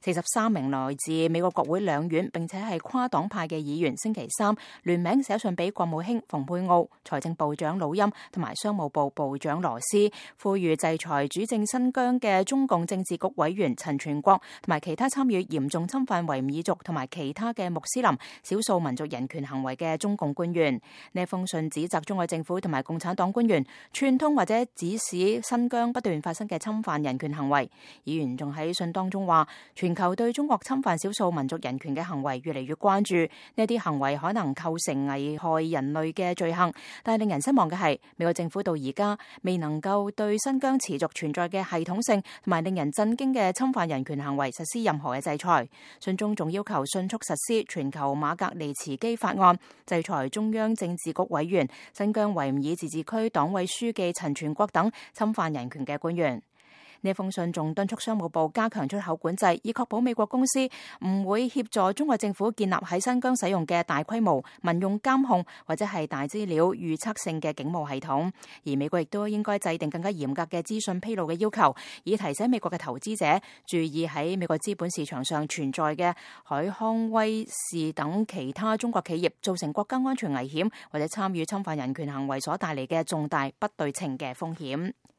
43名來自美國國會兩院並且係跨黨派嘅議員星期三聯名寫信俾國務卿蓬佩奧、財政部長魯欽同埋商務部部長羅斯，呼籲制裁主政新疆嘅中共政治局委員陳全國同埋其他參與嚴重侵犯維吾爾族同埋其他嘅穆斯林少數民族人權行為嘅中共官員。呢封信指責中國政府同埋共產黨官員串通或者指使新疆不斷發生嘅侵犯人權行為。議員仲喺信當中話，全球對中國侵犯少數民族人權嘅行為越嚟越關注，呢啲行為可能構成危害人類嘅罪行。但係令人失望嘅係，美國政府到而家未能夠對新疆持續存在嘅系統性同埋令人震驚嘅侵犯人權行為實施任何嘅制裁。信中仲要求迅速實施全球馬格尼茨基法案，制裁中央政治局委員、新疆維吾爾自治區黨委書記陳全國等侵犯人權嘅官員。呢封信仲敦促商務部加強出口管制，以確保美國公司唔會協助中國政府建立喺新疆使用嘅大規模民用監控或者係大資料預測性嘅警務系統。而美國亦都應該制定更加嚴格嘅資訊披露嘅要求，以提醒美國嘅投資者注意喺美國資本市場上存在嘅海康威視等其他中國企業造成國家安全危險或者參與侵犯人權行為所帶嚟嘅重大不對稱嘅風險。